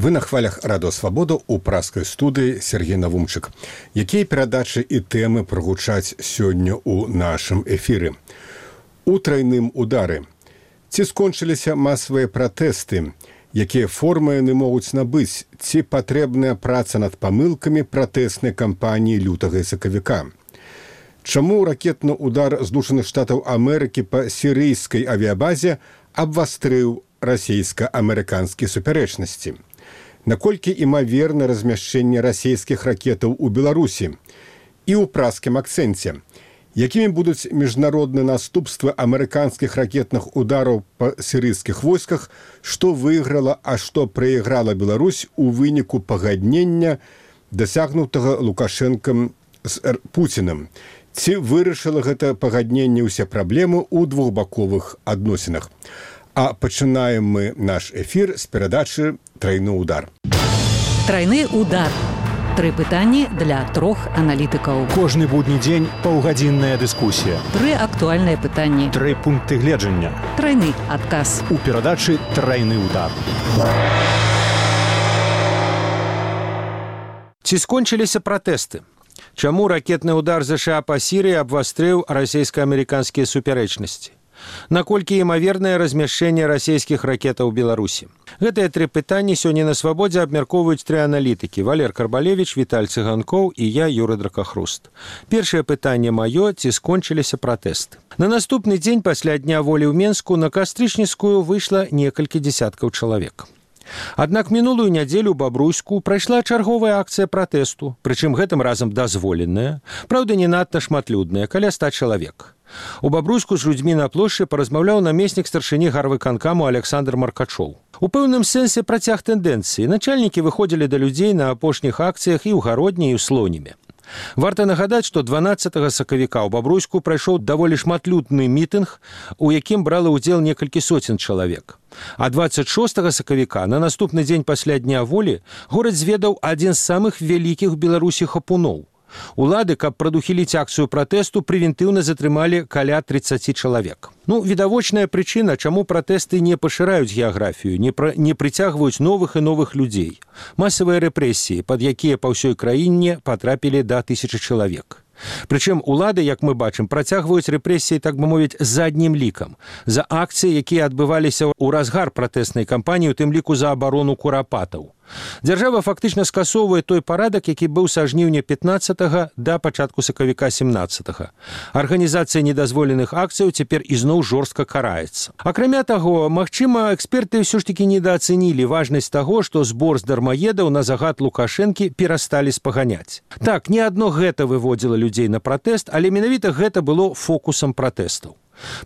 Вы на хвалях Радио Свабода ў праскай студыі Сергей Навумчык. Якія перадачы і тэмы прагучаць сёння ў нашым эфіры? У трайным удары. Ці скончыліся масавыя пратэсты? Якія формы яны могуць набыць? Ці патрэбная праца над памылкамі пратэснай кампаніі лютага і сакавіка? Чаму ракетны удар Злучаных Штатаў Амерыкі па сірыйскай авіябазе абвастрыў расійска-амерыканскія супярэчнасці? Наколькі імаверна размяшчэнне расійскіх ракетаў у Беларусі? І ў праскім акцэнце. Якімі будуць міжнародныя наступствы амерыканскіх ракетных удараў па сірыйскіх войсках, што выйграла, а што прайграла Беларусь у выніку пагаднення, дасягнутага Лукашэнкам з Пуцінам? Ці вырашыла гэта пагадненне ўсе праблемы ў двухбаковых адносінах? А пачынаем мы наш эфір з перадачы «Трайны удар». Трайны удар. Тры пытанні для трох аналітыкаў. Кожны будні дзень паўгадзінная дыскусія. Тры актуальныя пытанні. Тры пункты гледжання. Трайны адказ. У перадачы «Трайны удар». Ці скончыліся пратэсты? Чаму ракетны удар ЗША па Сірыі абвастрыў расійска-амерыканскія супярэчнасці? Наколькі імавернае размяшчэнне расійскіх ракетаў у Беларусі? Гэтыя тры пытанні сёння на Свабодзе абмяркоўваюць тры аналітыкі: Валер Карбалевіч, Віталь Цыганкоў і я, Юры Дракахруст. Першае пытанне маё: ці скончыліся пратэсты? На наступны дзень пасля Дня волі ў Менску на Кастрычніцкую выйшла некалькі дзесяткаў чалавек. Аднак мінулую нядзелю ў Бабруйску прайшла чарговая акцыя пратэсту, прычым гэтым разам дазволеная, праўда, не надта шматлюдная, каля 100 чалавек. У Бабруйску з людзьмі на плошчы паразмаўляў намеснік старшыні гарвыканкаму Александр Маркачоў. У пэўным сэнсе працяг тэндэнцыі. Начальнікі выходзілі да людзей на апошніх акцыях і ў Гародні, і ў Слоніме. Варта нагадаць, што 12 сакавіка ў Бабруйску прайшоў даволі шматлюдны мітынг, у якім брала ўдзел некалькі соцень чалавек. А 26 сакавіка, на наступны дзень пасля Дня волі, горад зведаў адзін з самых вялікіх у Беларусі хапуноў. Улады, каб прадухіліць акцыю пратэсту, прэвентыўна затрымалі каля 30 чалавек. Відавочная прычына, чаму пратэсты не пашыраюць геаграфію, не прыцягваюць новых і новых людзей. Масавыя рэпрэсіі, пад якія па ўсёй краіне патрапілі да 1000 чалавек. Прычым улады, як мы бачым, працягваюць рэпрэсіі, так бы мовіць, заднім лікам. За акцыі, якія адбываліся ў разгар пратэснай кампаніі, у тым ліку за абарону курапатаў. Дзяржава фактычна скасоўвае той парадак, які быў са жніўня 15 да пачатку сакавіка 17. Арганізацыя недазволеных акцыяў цяпер ізноў жорстка караецца. Акрамя таго, магчыма, эксперты ўсё ж такі недаацэнілі важнасць таго, што збор з дармаедаў на загад Лукашэнкі перасталі спаганяць. Так, не адно гэта выводзіла людзей на пратэст, але менавіта гэта было фокусам пратэстаў.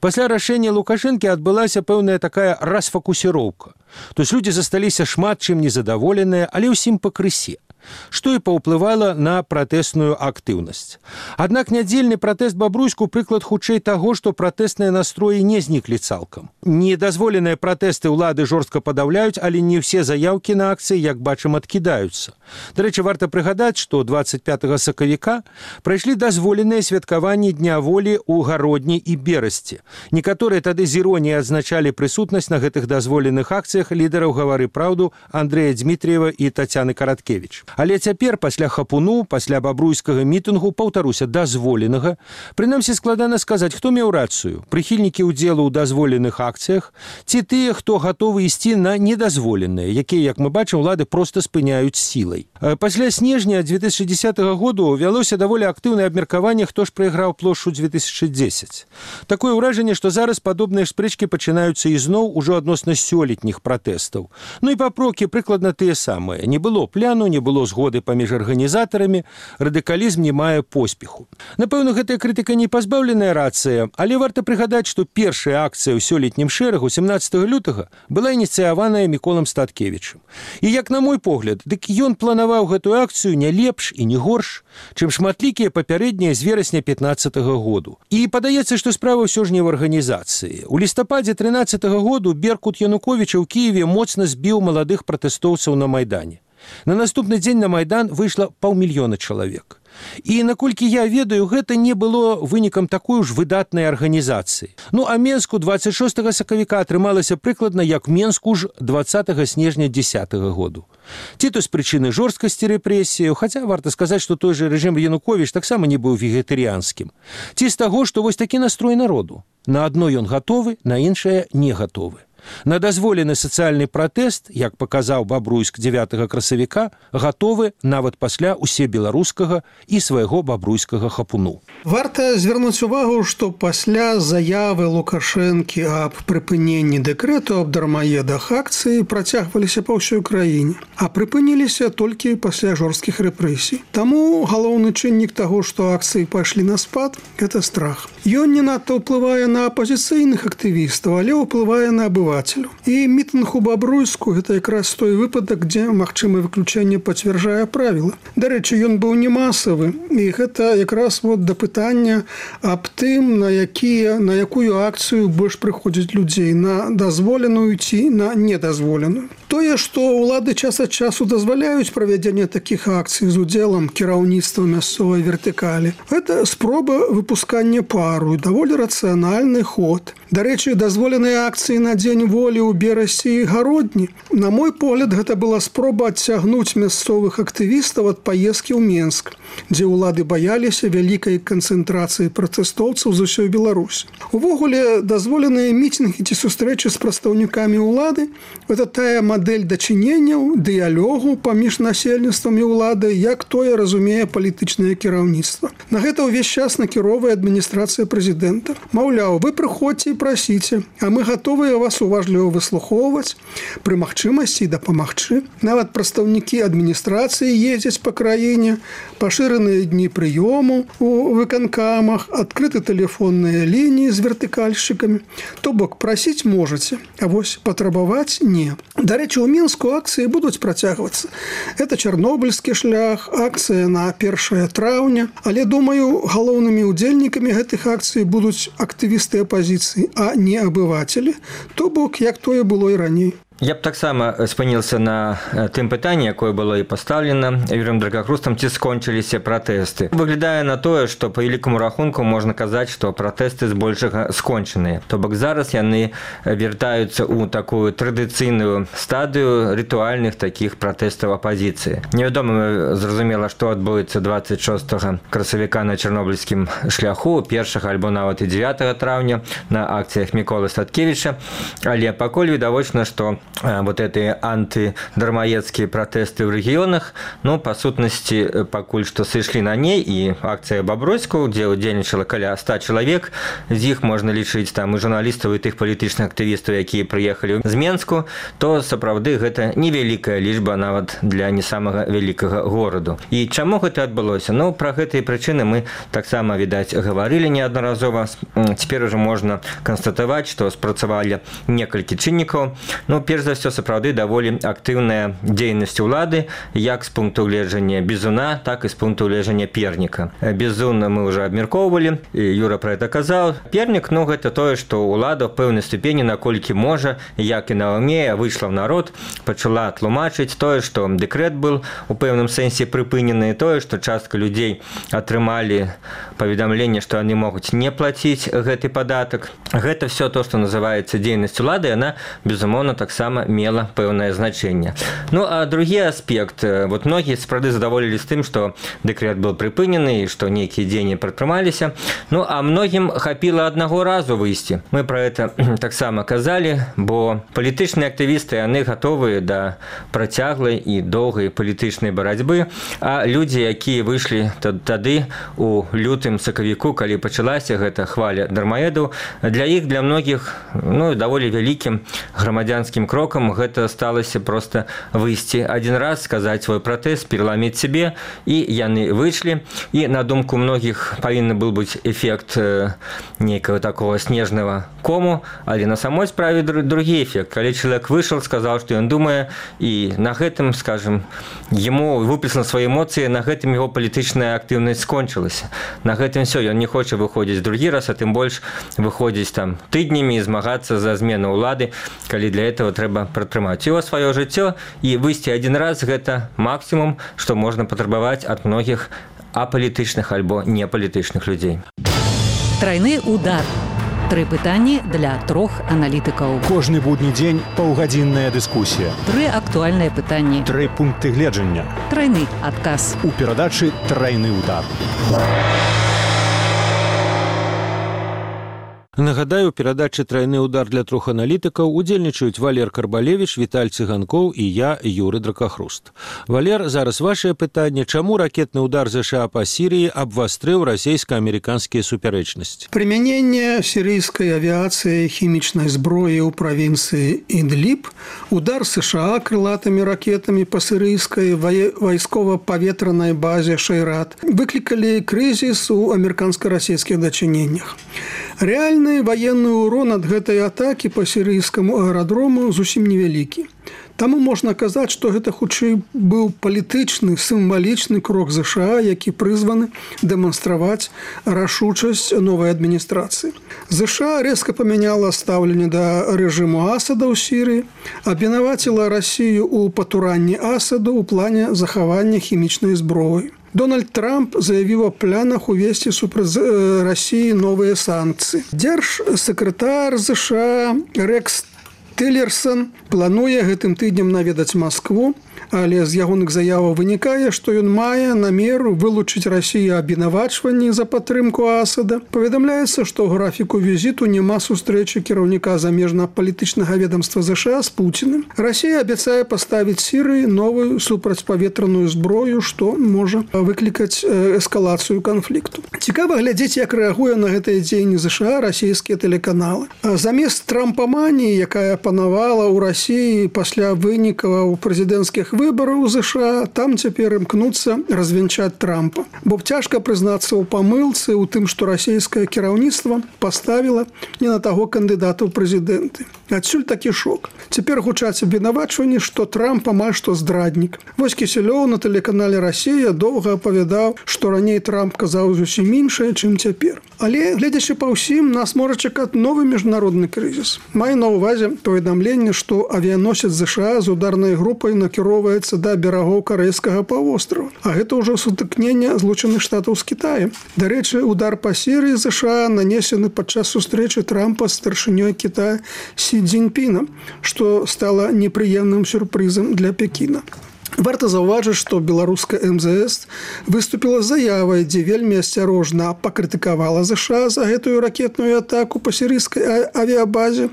Пасля рашэння Лукашэнкі адбылася пэўная такая расфокусіроўка. То есть людзі засталіся шмат чым незадаволеныя, але ўсім пакрысе, што і паўплывала на пратэсную актыўнасць. Аднак нядзельны пратэст Бабруйску прыклад хутчэй таго, што пратэсныя настроі не зніклі цалкам. Недазволеныя пратэсты ўлады жорстка падаўляюць, але не ўсе заяўкі на акцыі, як бачым, адкідаюцца. Дарэчы, варта прыгадаць, што 25 сакавіка прайшлі дазволеныя святкаванні Дня волі ў Гародні і Берасці. Некаторыя тады з іроніяй адзначалі прысутнасць на гэтых дазволеных акцыях лідараў «Гавары праўду» Андрэя Дзмітрыева і Тацяны Караткевіч. Але цяпер, пасля хапуну, пасля бабруйскага мітынгу, паўтаруся, дазволенага, прынамсі складана сказаць, хто меў рацыю: прыхільнікі ўдзелу ў дазволеных акцыях ці тыя, хто гатовы ісці на недазволеныя, якія, як мы бачым, улады проста спыняюць сілай. Пасля снежня 2010 году вялося даволі актыўнае абмеркаванне, хто ж прайграў плошчу 2010. Такое ўражанне, што зараз падобныя спрэчкі пачынаюцца ізноў ужо адносна сёлетніх пратэстаў. І папрокі прыкладна тыя самыя. Не было пляну, не было згоды паміж арганізатарамі, радыкалізм не мае поспеху. Напэўна, гэтая крытыка не пазбаўленая рацыя, але варта прыгадаць, што першая акцыя ў сёлетнім шэрагу 17 лютага была ініцыяваная Міколам Статкевічам. І як на мой погляд, дык ён планаваў гэтую акцыю не лепш і не горш, чым шматлікія папярэднія з верасня 15 году. І падаецца, што справа ўсё ж не в арганізацыі. У лістападзе 13 году Беркут Януковіча ў Кіеве моцна збіў маладых пратэстоўцаў на Майдане. На наступны дзень на Майдан выйшла 500 000 чалавек. І, наколькі я ведаю, гэта не было вынікам такой уж выдатнай арганізацыі. Ну, а Менску 26 сакавіка атрымалася прыкладна як Менску ж 20 снежня 10 году. Ці то з прычыны жорсткасці рэпрэсіяў, хаця варта сказаць, што той жа рэжым Януковіч таксама не быў вегетарыянскім. Ці з таго, што вось такі настрой народу. На адно ён гатовы, на іншае не гатовы. На дазволены сацыяльны пратэст, як паказаў Бабруйск 9 красавіка, гатовы нават пасля усебеларускага і свайго бабруйскага хапуну. Варта звярнуць увагу, што пасля заявы Лукашэнкі аб прыпыненні дэкрэту аб дармаедах акцыі працягваліся па ўсёй краіне, а прыпыніліся толькі пасля жорсткіх рэпрэсій. Таму галоўны чыннік таго, што акцыі пайшлі на спад, гэта страх. Ён не надта ўплывае на апазіцыйных актывістаў, але ўплывае на абывацеляў. І мітынг у Бабруйску – гэта якраз той выпадак, дзе магчымае выключэнне пацвярджае правіла. Дарэчы, ён быў не масавы, і гэта якраз да пытання аб тым, на якую акцыю больш прыходзіць людзей, на дазволеную ці на недазволеную. Тое, што ўлады час ад часу дазваляюць правядзенне такіх акцый з удзелам кіраўніцтва мясцовай вертыкалі, гэта спроба выпускання пару, даволі рацыянальны ход. Дарэчы, дазволеныя акцыі на дзень волі ў Берасці і Гародні. На мой погляд, гэта была спроба адцягнуць мясцовых актывістаў ад паездкі ў Менск, дзе ўлады баяліся вялікай канцэнтрацыі пратэстоўцаў з усёй Беларусі. Увогуле, дазволеныя мітынгі ці сустрэчы з прадстаўнікамі ўлады – гэта тая мадэль дачыненняў, дыялогу паміж насельніцтвам і ўладай, як тое разумее палітычнае кіраўніцтва. На гэта ўвесь час накіроўвае адміністрацыя прэзідэнта. Маўляў, вы прыходзьце і прасіце, а мы гатовыя вас уважліва выслухоўваць, пры магчымасці і дапамагчы. Нават прадстаўнікі адміністрацыі ездзяць па краіне, пашыраныя дні прыёму у выканкамах, адкрыты тэлефонныя лініі з вертыкальшчыкамі. То бок, прасіць можаце, а вось патрабаваць не. Дарэчы, у Мінску акцыі будуць працягвацца. Это чарнобыльскі шлях, акцыя на 1 траўня, але, думаю, галоўнымі удзельнікамі гэтых акцый будуць актывісты апазіцыі, а не абывацелі, то бок, як тое было і раней. Я б таксама спынился на тым пытанні, якое было і пастаўлена Юрыем Драгахрустам, ці скончыліся пратэсты. Выглядае на тое, што па велікаму рахунку можна казаць, што пратэсты збольшага скончаныя. То бок зараз яны вяртаюцца ў такую традыцыйную стадыю рытуальных такіх пратэстаў апазіцыі. Невядома, зразумела, што адбудзецца 26 красавіка на чарнобыльскім шляху, 1 альбо нават і 9 траўня на акцыях Міколы Статкевіча, але пакуль відавочна, што вот эти антидармаедские протесты в регионах, ну, по сутности, пакуль что сышлі на ней, и акция Бабруйску, где удзельнічала каля 100 человек, з іх можна лічыць там і журналістаў, і тых палітычных актывістаў, якія прыехалі з Менску, то сапраўды гэта невялікая лічба нават для не самага вялікага гораду. І чаму гэта адбылося? Ну, пра гэтыя прычыны мы таксама, відаць, гаварылі неаднаразова. Цяпер уже можна канстатаваць, што спрацавалі некалькі чыннікаў. Ну, перш за ўсё, сапраўды даволі актыўная дзейнасць улады, як з пункту гледжання Бізуна, так і з пункту гледжання Перніка. Бізун мы ўжо абмяркоўвалі, і Юра пра гэта казаў. Пернік, ну, гэта тое, што ўлада ў пэўнай ступені, наколькі можа, як і на ўмее, выйшла ў народ, пачала тлумачыць тое, што дэкрэт быў у пэўным сэнсе прыпынены, тое, што частка людзей атрымалі паведамленне, што яны могуць не плаціць гэты падатак. Гэта все то, што называецца дзейнасць улады, яна, безумоўна, таксама мела пэўнае значэнне. Ну, а другі аспект. Вот многія сапраўды задаволілі з тым, што дэкрэт быў прыпынены і што нейкія дзеянні прадпрымаліся. Ну, а многім хапіла аднаго разу выйсці. Мы пра гэта таксама казалі, бо палітычныя актывісты, яны гатовыя да працяглай і доўгай палітычнай барацьбы, а людзі, якія выйшлі тады у лютым сакавіку, калі пачалася гэта хваля дармаедаў, для іх, для многіх, ну, даволі вялікім грамадзянскім крокам гэта сталася проста выйсці адзін раз, сказаць свой пратэст, пераламіць сябе, і яны выйшлі. І на думку многіх павінны быў быць эфект нейкага такого снежнага кому, але на самой справе другі эфект. Калі чалавек выйшаў, сказаў, што ён думае, і на гэтым, скажем, яму выпісана свае эмоцыі, на гэтым яго палітычная актыўнасць скончылася. На гэтым все, ён не хоча выходзіць другі раз, а тым больш выходзіць там тыднямі і змагацца за змену ўлады, калі для этого трэба пратрымаць его сваё жыццё, і выйсці адзін раз гэта максімум, што можна патрабаваць ад многіх апалітычных альбо непалітычных людзей. Трайны удар. 3 пытанні для 3 аналітыкаў. Кожны будні дзень паўгадзінная дыскусія. 3 актуальныя пытанні. 3 пункты гледжання. Трайны адказ. У перадачы «Трайны удар». Нагадаю, у перадачы «Трайны удар» для 3 аналітыкаў удзельнічаюць Валер Карбалевіч, Віталь Цыганкоў і я, Юры Дракахруст. Валер, зараз вашае пытанне. Чаму ракетны удар ЗША па Сірыі абвастрыў расійска-амерыканскія супярэчнасці? Применение сирийской авиации и химичной сброи у провинции Идлиб, удар США крылатыми ракетами по сирийской войсково-поветранной базе Шейрат выкликали кризис у американско-российских дочинениях. Реальный военный урон от гэтай атаки по сирийскому аэродрому зусім невялікі. Таму можна казаць, што гэта хутчэй быў палітычны, сімвалічны крок ЗША, які прызваны дэманстраваць рашучасць новай адміністрацыі. ЗША резка памяняла стаўленне да рэжыму Асада ў Сірыі, абвінаваціла Расію ў патуранні Асаду ў плане захавання хімічнай зброі. Дональд Трамп заявіў о планах увесці супраць Расіі новыя санкцыі. Дзяржсакратар ЗША Рекс Тиллерсон плануе гэтым тыднем наведаць Маскву, але з ягоных заяваў вынікае, што ён мае намер вылучыць Расію абвінавачванні за падтрымку Асада. Паведамляецца, што ў графіку візіту няма сустрэчы кіраўніка замежна-палітычнага ведамства ЗША з Пуціным. Расія абяцае паставіць Сірыі новую супрацьпаветраную зброю, што можа выклікаць эскалацыю канфлікту. Цікава глядзець, як рэагуе на гэтыя дзеянні ЗША расійскія тэлеканалы. Замест трампаманіі, якая панавала ў Расіі пасля вынікаў прэзідэнцкіх выбораў у ЗША, там цяпер імкнуцца развенчаць Трампа. Бо цяжка прызнацца ў памылцы ў тым, што расійскае кіраўніцтва паставіла не на таго кандыдата ў прэзідэнты. Адсюль такі шок. Цяпер гучаць абвінавачванні, што Трамп амаль што здраднік. Вось Кісялёў на тэлеканале «Расія» доўга апавядаў, што раней Трамп казаў зусім іншае, чым цяпер. Але, гледзячы па ўсім, нас можа чакаць новы міжнародны крызіс. Маю на ўвазе паведамленне, што авіяносец ЗША з ударнай групай накіроўваецца да берагоў карэйскага паўвострава. А гэта ўжо сутыкненне Злучаных Штатаў з Кітаем. Дарэчы, удар па Сірыі ЗША нанесены падчас сустрэчы Трампа з старшынёй Кітая Сі Цзіньпінам, што стала непрыемным сюрпрызам для Пекіна. Варта заўважыць, што беларуская МЗС выступіла з заявай, дзе вельмі асцярожна пакрытыкавала ЗША за гэтую ракетную атаку па сірыйскай авіябазе.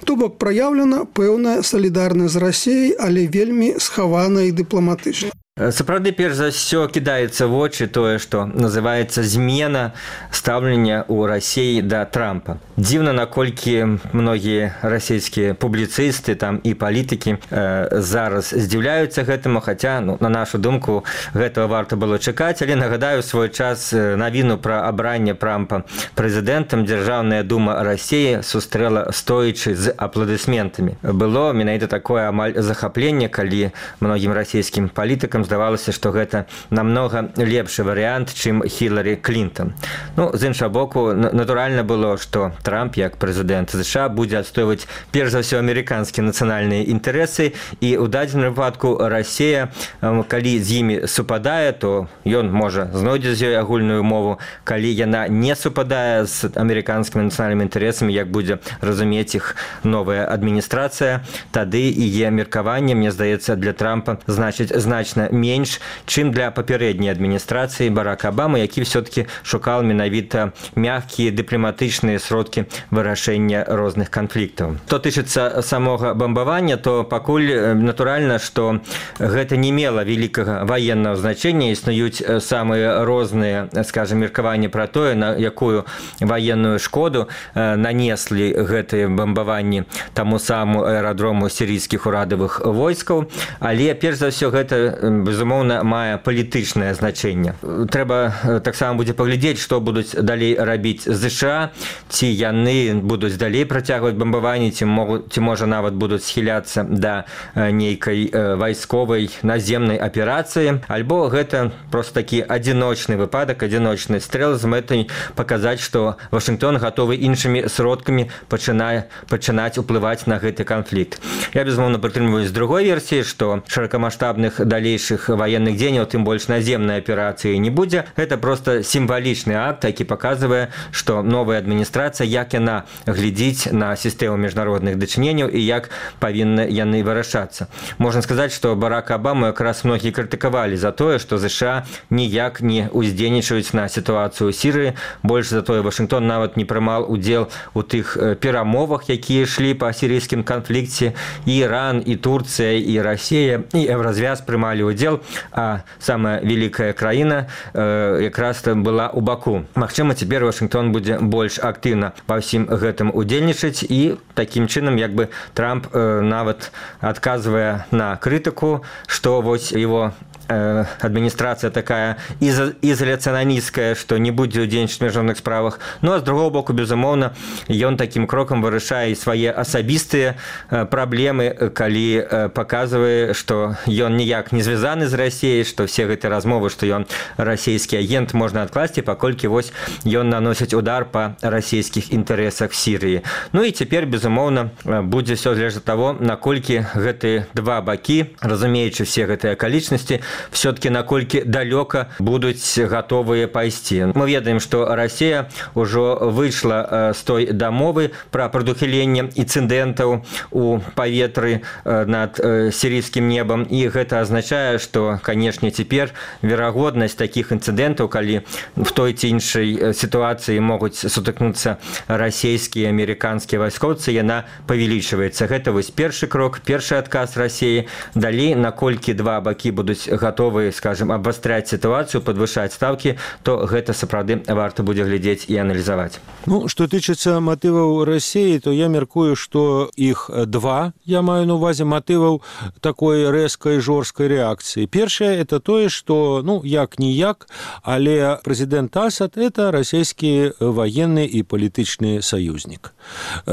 То бок праяўлена пэўная салідарнасць з Расіяй, але вельмі схавана і дыпламатычна. Сапраўды, перш за ўсё кідаецца в вочы тое, што называецца змена стаўлення ў Расіі да Трампа. Дзіўна, наколькі многія расійскія публіцысты там і палітыкі зараз здзіўляюцца гэтаму, хаця, на нашу думку, гэтага варта было чакаць, але нагадаю свой час навіну пра абранне Трампа прэзідэнтам Дзяржаўная дума Расіі сустрэла стоячы з апладысментамі. Было менавіта такое амаль захапленне, калі многім расійскім палітыкам здавалася, што гэта намнога лепшы варыянт, чым Хіларі Клінтон. З іншага боку, натуральна было, што Трамп, як прэзідэнт ЗША, будзе адстойваць перш за ўсё амерыканскія нацыянальныя інтарэсы, і ў дадзеным выпадку Расія, калі з імі супадае, то ён можа знойдзе з ёй агульную мову. Калі яна не супадае з амерыканскімі нацыянальнымі інтарэсамі, як будзе разумець іх новая адміністрацыя, тады яе меркаванне, мне здаецца, для Трампа значыць значна менш, чым для папярэдняй адміністрацыі Барака Абамы, які все-таки шукаў менавіта мягкія дыпламатычныя сродкі вырашэння розных канфліктаў. Што тычыцца самога бамбавання, то пакуль натуральна, што гэта не мела вялікага ваеннага значэння. Існуюць самыя розныя, скажем, меркаванні пра тое, на якую ваенную шкоду нанеслі гэтыя бамбаванні таму саму аэрадрому сірійскіх урадавых войскаў, але перш за ўсё гэта, безумоўна, мае палітычнае значэнне. Трэба таксама будзе паглядзець, што будуць далей рабіць ЗША, ці яны будуць далей працягваць бамбаванні, ці можа нават будуць схіляцца да нейкай вайсковай наземнай аперацыі, альбо гэта проста такі адзіночны выпадак, адзіночны стрэл з мэтай паказаць, што Вашынгтон гатовы іншымі сродкамі пачынаць уплываць на гэты канфлікт. Я, безумоўна, прытрымліваюсь з другой версіі, што шырокамаштабных далейшых больших военных дзеянняў, тым больш наземнай аперацыі не будзе. Гэта просто сімвалічны акт, які паказвае, што новая адміністрацыя, як яна глядзіць на сістэму міжнародных дачыненняў і як павінны яны вырашацца. Можна сказаць, што Барака Абаму якраз многія крытыкавалі за тое, што ЗША ніяк не ўздзейнічаюць на сітуацыю ў Сірыі. Больш за тое, Вашынгтон нават не прымаў удзел у тых перамовах, якія ішлі па сірыйскім канфлікце. І Іран, і Турцыя, і Расія, і Еўразвяз прымалі удзел, а самая вялікая краіна якраз была ў Баку. Магчыма, цяпер Вашынгтон будзе больш актыўна ва ўсім гэтым удзельнічаць, і такім чынам як бы Трамп нават адказвае на крытыку, што вось его адміністрацыя такая ізаляцыянісцкая, што не будзе ўдзельнічаць у міжнародных справах. Ну, а з другого боку, безумоўна, ён такім крокам вырашае свае асабістыя праблемы, калі паказвае, што ён ніяк не звязаны з Расіяй, што все гэтыя размовы, што ён расійскі агент, можна адкласці, паколькі вось ён наносіць удар па расійскіх інтарэсах Сірыі. Ну і цяпер, безумоўна, будзе ўсё залежаць ад таго, наколькі гэтыя два бакі, разумеючы все гэтыя акалічнасці, все-таки наколькі далёка будуць гатовыя пайсці. Мы ведаем, што Расія ўжо выйшла з той дамовы пра прадухіленне інцыдэнтаў у паветры над сірыйскім небам, і гэта азначае, што, канешне, цяпер верагоднасць такіх інцыдэнтаў, калі в той ці іншай сітуацыі могуць сутыкнуцца расійскія, амерыканскія вайскоўцы, яна павялічваецца. Гэта вось першы крок, першы адказ Расіі. Далей, наколькі два бакі будуць готовы, скажем, абвастряць сітуацыю, падвышаць ставкі, то гэта сапраўды варта будзе глядзець і аналізаваць. Ну, што тычыцца матываў Расіі, то я мяркую, што іх два, я маю на увазе матываў такой рэзкай жорсткай рэакцыі. Першае – это тое, што, ну, як-ніяк, але прэзідэнт Асад – это расійскі ваенны і палітычны саюзнік.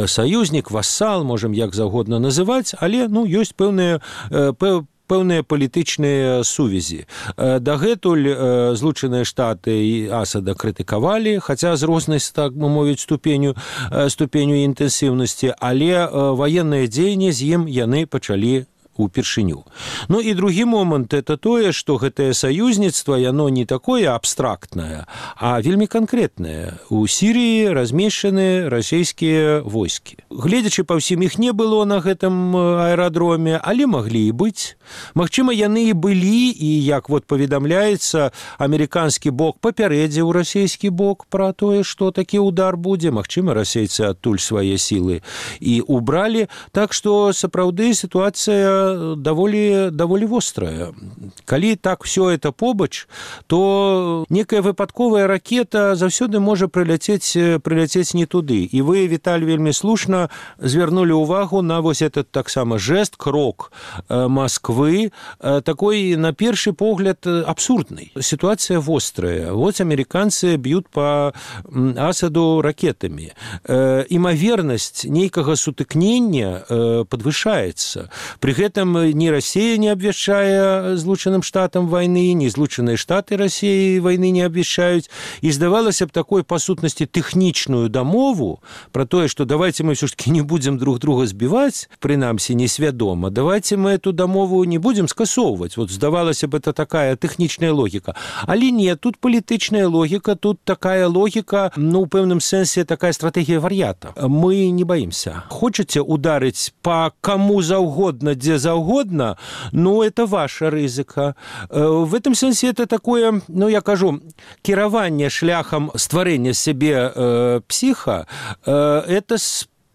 Саюзнік, вассал, можам як заўгодна называць, але, ну, ёсць пэўныя палітычныя сувязі. Дагэтуль Злучаныя Штаты і Асада крытыкавалі, хаця з рознай, так бы мовіць, ступеню інтэнсіўнасці, але ваенныя дзеянні з ім яны пачалі упершыню. Ну і другі момант – это тое, што гэтае саюзніцтва, яно не такое абстрактнае, а вельмі канкрэтнае. У Сірыі размешчаны расійскія войскі. Гледзячы па ўсім, іх не было на гэтым аэрадроме, але маглі і быць. Магчыма, яны і былі, і, як вот паведамляецца, амерыканскі бок папярэдзіў расійскі бок пра тое, што такі удар будзе. Магчыма, расейцы адтуль свае сілы і убралі. Так што, сапраўды, сітуацыя даволі вострая. Калі так все это побач, то некая выпадковая ракета заўсёды можа прыляцець не туды. І вы, Віталь, вельмі слушна звярнулі ўвагу на вось этот таксама жест, крок Москвы, такой, на першы погляд, абсурдный. Ситуация вострая. Вот американцы бьют по Асаду ракетами. Імавернасць нейкага сутыкнення подвышаецца. При этом ни Россия не обвяшчае Злучаным Штатам войны, ни Злучаныя Штаты России войны не обвяшчаюць. И здавалася б такой, по сутнасці, тэхнічную дамову про тое, что давайте мы все-таки не будем друг друга сбивать, прынамсі несвядома, давайте мы эту дамову не будем скасоўваць. Вот здавалася б, это такая тэхнічная логика. Але нет, тут палітычная логика, тут такая логика, ну, в пэўным сэнсе, такая стратегия вар'ята. Мы не боимся. Хочаце ударить по кому заўгодна, дзе заўгодна, ну, это ваша рызыка. В этом сэнсе это такое, ну, я кажу, кіраванне шляхам стварэння сябе псіха, это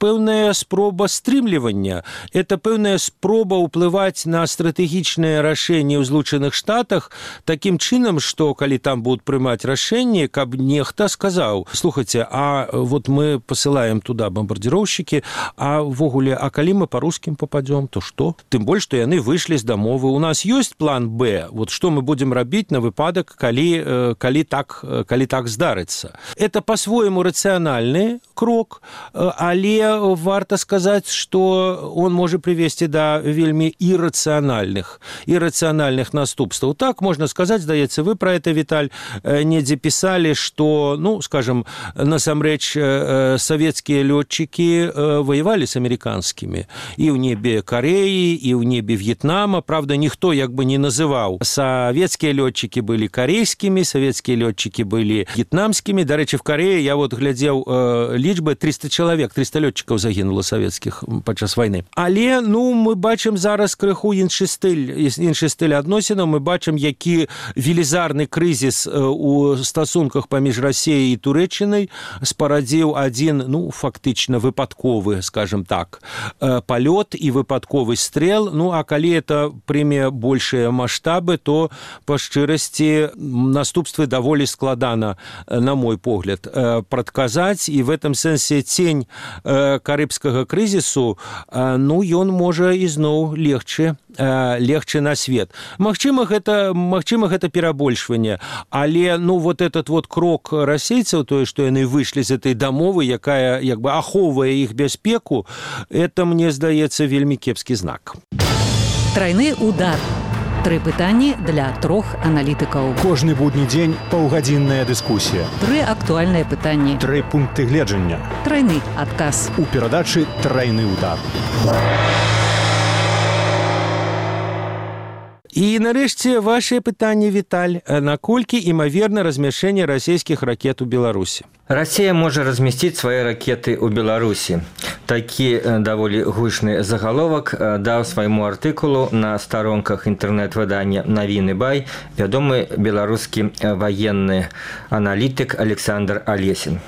пэўная спроба стрымлівання, это пэўная спроба ўплываць на стратэгічныя рашэнні ў Злучаных Штатах такім чынам, што калі там будуць прымаць рашэнні, каб нехта сказаў: слухайце, а вот мы пасылаем туда бомбардзіроўшчыкі, а ввогуле, а калі мы па рускім попадём, то што? Тым больш, што яны выйшлі з дамовы. У нас ёсць план Б, вот што мы будзем рабіць на выпадак, калі так здарыцца. Это па-свойму рацыянальны крок, але варта сказаць, што он можа прывесці да вельмі ірацыянальных наступстваў. Так можна сказаць, здаецца, вы пра это, Віталь, недзе пісалі, што, ну, скажем, насамрэч савецкія лётчыкі воевалі з амерыканскімі і ў небе Карэі, і ў небе В'етнама. Правда, ніхто як бы не называў. Савецкія лётчыкі былі карейскімі, савецкія лётчыкі былі в'етнамскімі. Дарэчы, в Карэі я вот глядзеў лічбы 300 чалавек, 300 лётчыкаў загінула савецкіх падчас вайны. Але, ну, мы бачым зараз крыху іншы стыль адносінаў. Мы бачым, які велізарны крызіс у стасунках паміж Расіяй і Турэччынай спарадзіў адзін, ну, фактычна выпадковы, скажем так, палёт і выпадковы стрэл. Ну, а калі это прыме большыя маштабы, то, па шчырасці, наступствы даволі складана, на мой погляд, прадказаць. І в этом сэнсе цень карыбскага крызісу, ну, ён можа ізноў легчы на свет. Магчыма, гэта перабольшванне, але, ну, вот этот вот крок расейцаў, тое, што яны выйшлі з этой дамовы, якая, як бы, ахоўвае іх бяспеку, это, мне здаецца, вельмі кепскі знак. Трайны удар. 3 пытанні для 3 аналітыкаў. Кожны будні дзень паўгадзінная дыскусія. 3 актуальныя пытанні. 3 пункты гледжання. Трайны адказ. У перадачы «Трайны удар». І, нарэшце, вашее пытанне, Віталь. Наколькі імаверна размяшчэнне расійскіх ракет у Беларусі? Россия может разместить свои ракеты у Беларуси. Такі даволі гучны загаловак даў свайму артыкулу на старонках інтэрнэт-выдання «Навіны Бай» вядомы беларускі ваенны аналітык Александр Алесін.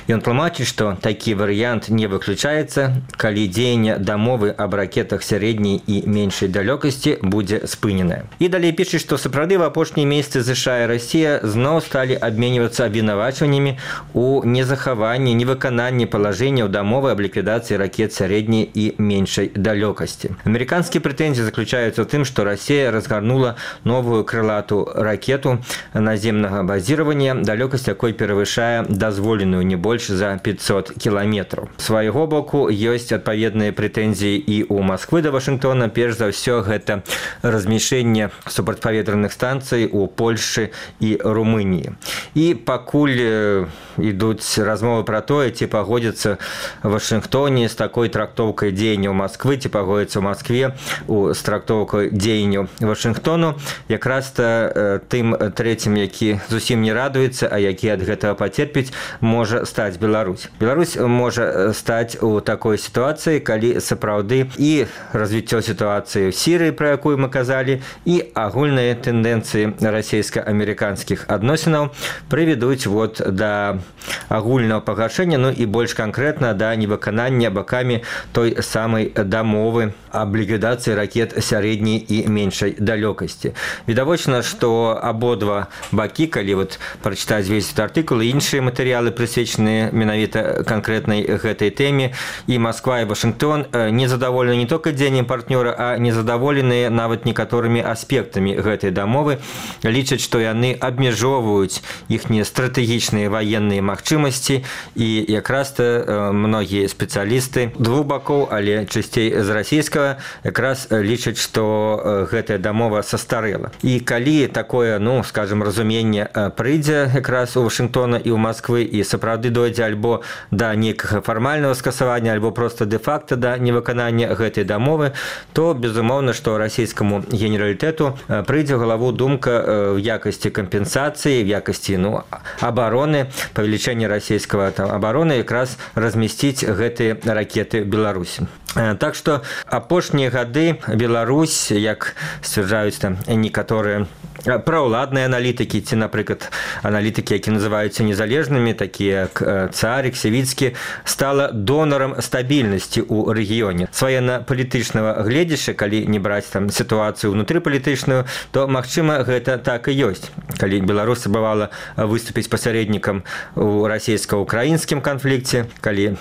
Ён тлумачыць, што такі варыянт не выключаецца, калі дзеянне дамовы аб ракетах сярэдняй і меншай далёкасці будзе спыненае. І далей піша, што сапраўды в апошнія месяцы США і Расія зноў сталі абменьвацца абвінавачваннямі у незахаванні, невыкананні палажэнняў дамовы аб ліквідацыі ракет сярэдняй і меншай далёкасці. Амерыканскія прэтэнзіі заключаюцца ў тым, што Расія разгарнула новую крылатую ракету наземнага базіравання, далёкасць якой перавышае дазволеную не больш за 500 кіламетраў. З свайго боку ёсць адпаведныя прэтэнзіі і ў Масквы да Вашынгтона. Перш за ўсё гэта размяшчэнне супрацьпаветраных станцый у Польшчы і Румыніі. І пакуль ідуць размовы пра тое, ці пагодзіцца Вашынгтоне з такой трактоўкай дзеянняў Масквы, ці пагодзіцца ў Маскве з трактоўкай дзеянняў Вашынгтону, якраз-то тым трэцім, які зусім не радуецца, а які ад гэтага пацерпіць, можа стаць Беларусь. Беларусь можа стаць у такой сітуацыі, калі сапраўды і развіццё сітуацыі ў Сірыі, пра якую мы казалі, і агульныя тэндэнцыі расійска-амерыканскіх адносінаў прывядуць вот да агульнага пагаршэння, ну і больш канкрэтна да невыканання бакамі той самай дамовы аб ліквідацыі ракет сярэдняй і меншай далёкасці. Відавочна, што абодва бакі, калі вот прачытаць весь этот артыкул і іншыя матэрыялы, прысвечаныя менавіта канкрэтнай гэтай тэме, і Масква і Вашынгтон незадаволены не толькі дзеяннем партнёра, а незадаволеныя нават некаторымі аспектамі гэтай дамовы, лічаць, што яны абмяжоўваюць іхнія стратэгічныя ваенныя магчымасці, і якраз-то многія спецыялісты двух бакоў, але часцей з расійскага, якраз лічаць, што гэтая дамова састарэла. І калі такое, ну, скажем, разуменне прыйдзе якраз у Вашынгтона і ў Масквы, і сапраўды дойдзе альбо да нейкага фармальнага скасавання, альбо проста дэ-факта да невыканання гэтай дамовы, то, безумоўна, што расійскаму генералітэту прыйдзе ў галаву думка в якасці кампенсацыі, в якасці, ну, абароны, павелічэння расійскага абароны якраз размясціць гэтыя ракеты ў Беларусі. Так што апошнія гады Беларусь, як сцвярджаюць там некаторыя праўладныя аналітыкі, ці, напрыклад, аналітыкі, які называюцца незалежнымі, такія як Царик, Севіцкі, стала донарам стабільнасці ў рэгіёне. З ваенна-палітычнага гледзяшча, калі не браць там сітуацыю ўнутрыпалітычную, то, магчыма, гэта так і ёсць. Калі Беларусь спрабавала выступіць пасярэднікам у расійска-украінскім канфлікце, калі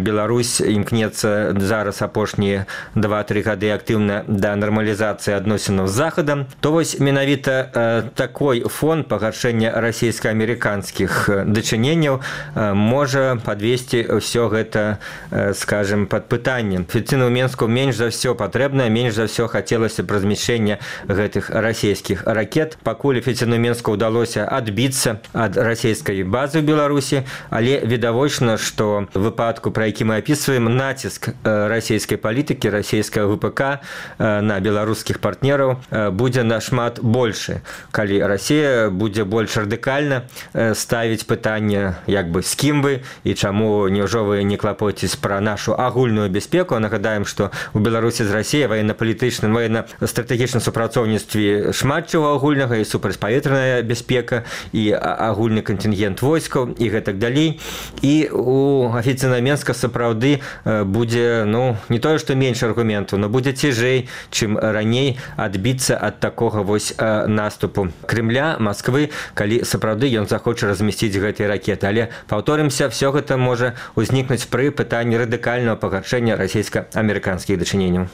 Беларусь імкнецца зараз апошнія 2-3 гады актыўна да нармалізацыі адносінаў з Захадам, то вось менавіта такой фон пагаршэння расійска-амерыканскіх дачыненняў можа падвесці ўсё гэта, скажем, пад пытаннем. Афіцыйнаму Мінску менш за ўсё патрэбна, менш за ўсё хацелася б размяшчэння гэтых расійскіх ракет. Пакуль афіцыйнаму Мінску ўдалося адбіцца ад расійскай базы ў Беларусі, але відавочна, што в выпадку, пра які мы апісваем, націск расійскай палітыкі, расійскага ВПК на беларускіх партнераў будзе нашмат большы. Калі Расія будзе больш радыкальна ставіць пытанне, як бы, з кім вы і чаму няўжо вы не клапоцець пра нашу агульную бяспеку. Нагадаем, што ў Беларусі з Расіяй военно-палітычным, военно-стратэгічным супрацоўніцтве шмат чаго агульнага, і супрацьпаветраная бяспека, і агульны кантынгент войскаў, і гэтак далей. І у афіцыйнага Мінска сапраўды будзе, не тое, што менш аргументаў, но будзе цяжэй, чым раней адбіцца ад такога вось наступу Кремля, Масквы, калі сапраўды ён захоча размясціць гэтыя ракеты. Але, паўторымся, все гэта можа ўзнікнуць пры пытанні радыкальнага пагаршэння расійска-амерыканскіх дачыненняў.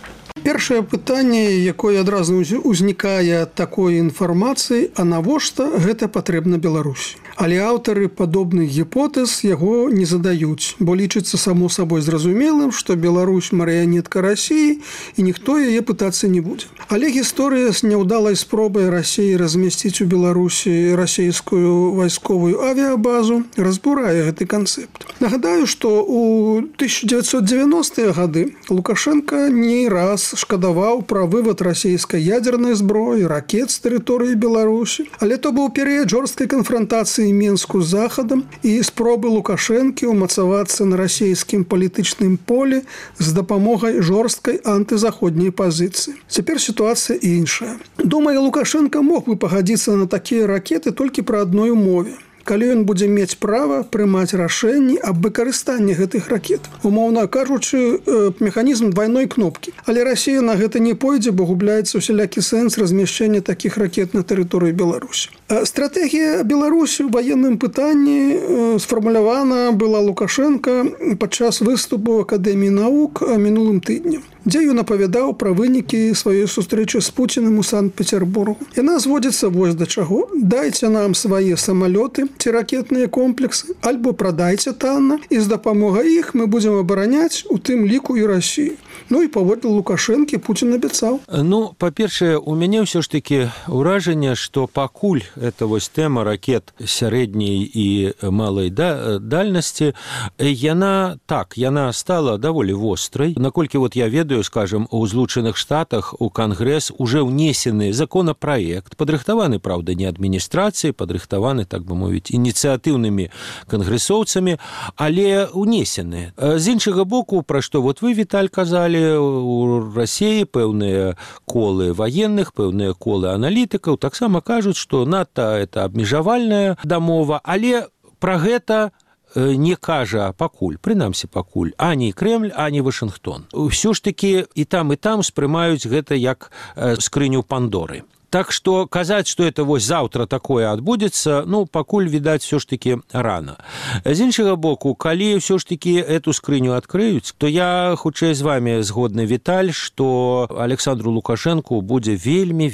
Першае пытанне, якое адразу ўзнікае ад такой інфармацыі, а навошта гэта патрэбна Беларусі? Але аўтары падобных гіпотэз яго не задаюць, бо лічыцца само сабой зразумелым, што Беларусь марыянетка Расіі і ніхто яе пытацца не будзе. Але гісторыя з няўдалай спробай Расіі размясціць у Беларусі расійскую вайсковую авіябазу разбурае гэты канцэпт. Нагадаю, што ў 1990-е гады Лукашенко не раз шкадаваў пра вывад расійскай ядзернай зброі, ракет з тэрыторыі Беларусі. Але то быў перыяд жорсткай канфрантацыі Мінску з Захадам і спробы Лукашэнкі ўмацавацца на расійскім палітычным полі з дапамогай жорсткай антызаходняй пазіцыі. Цяпер сітуацыя іншая. Думаю, Лукашенко мог бы пагадзіцца на такія ракеты толькі пры адной умове. Калі ён будзе мець права прымаць рашэнні аб выкарыстанні гэтых ракет. Умоўна кажучы, механізм двойной кнопкі. Але Расія на гэта не пойдзе, бо губляецца усялякі сэнс размяшчэння такіх ракет на тэрыторыі Беларусі. Стратэгія Беларусі ў ваенным пытанні сфармулявана была Лукашенко падчас выступу ў Акадэміі навук мінулым тыднем, дзе ён апавядаў пра вынікі сваёй сустрэчы з Пуціным у Санкт-Петербургу. Яна зводзіцца вось да чаго. Дайце нам свае самалёты ці ракетныя комплексы, альбо прадайце танна, і з дапамогай іх мы будзем абараняць, у тым ліку і Расію. І паводле Лукашэнкі Пуцін абяцаў. Па-першае, у мяне ўсё ж такі ўражанне, што пакуль эта вось тэма ракет сярэдняй і малай дальнасці, яна стала даволі вострай. Наколькі я ведаю, скажем, у Злучаных Штатах у Кангрэс уже ўнесены законапраект, падрыхтаваны, праўда, не адміністрацыяй, падрыхтаваны, так бы мовіць, ініцыятыўнымі кангрэсоўцамі, але ўнесены. З іншага боку, пра што вы, Віталь, казалі, у Расіі пэўныя колы ваенных, пэўныя колы аналітыкаў таксама кажуць, што НАТО это абмежавальная дамова, але пра гэта не кажа пакуль, прынамсі пакуль, ані Крэмль, ані Вашынгтон. Усё ж такі і там спрымаюць гэта як скрыню Пандоры. Так што казаць, што это заўтра такое адбудзецца, пакуль, відаць, все ж такі рана. З іншага боку, калі ўсё ж такі эту скрыню адкрыюць, то я хутчэй з вами згодны, Віталь, што Александру Лукашэнку будзе вельмі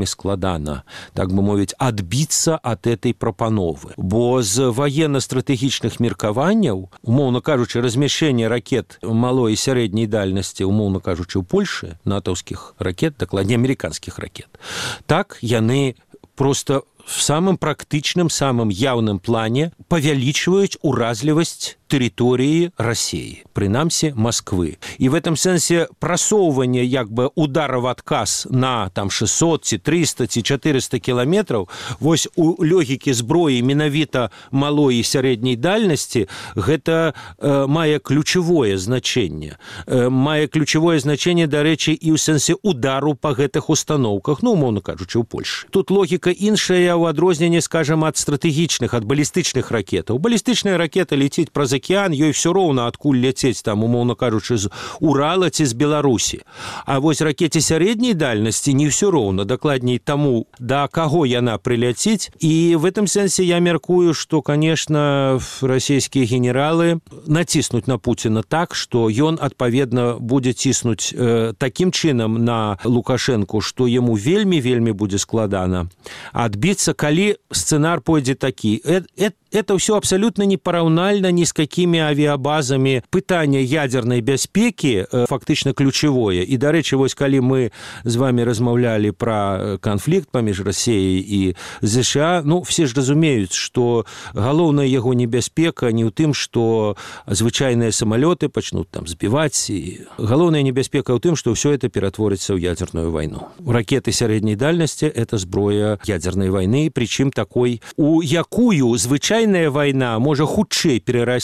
складана, так бы мовіць, адбіцца ад этой прапановы. Бо з военно-стратэгічных меркаванняў, умоўна кажучы, размяшчэнне ракет малой і сярэдняй дальнасці, умоўна кажучы, у Польшы, натаўскіх ракет, дакладней амерыканскіх ракет, так яны просто в самым практычным, самым яўным плане павялічваюць уразлівасць тэрыторыі Расіі, прынамсі Масквы. І в этом сэнсе прасоўванне удара в адказ на 600 ці 300 ці 400 кіламетраў, вось у логікі зброі менавіта малой і сярэдняй дальнасці, гэта мае ключавое значэнне. Мае ключавое значэнне, дарэчы, і ў сэнсе удару па гэтых установках, умоўна кажучы, у Польшы. Тут логіка іншая ў адрозненні, скажем, ад стратэгічных, ад балістычных ракетаў. Балістычная ракета ляціць праз акіян, ёй все роўна адкуль ляцець там, умоўна кажучы, з Урала ці з Беларусі. А вось ракете сярэдняй дальнасці не все роўна, дакладней таму, да каго яна прыляціць. І в этом сэнсе я мяркую, што, конечно, расійскія генералы націснуць на Пуціна так, што ён, адпаведна, будзе ціснуць такім чынам на Лукашэнку, што яму вельмі будзе складана адбіцца, калі сцэнар пойдзе такі. Это все абсолютно непараўнальна ни с какими авиабазами. Пытанне ядерной бяспеки фактично ключевое. И, дарэчы, вось калі мы з вами размаўлялі про конфликт паміж Россией и США, ну, все ж разумеюць, что галоўная яго небяспека не ў тым, что звычайныя самолеты пачнут там збивать. И галоўная небяспека ў тым, что все это ператворится ў ядерную войну. Ракеты сярэдняй дальности – это зброя ядерной войны, причем такой, у якую звычайная война можа хутчэй перарасці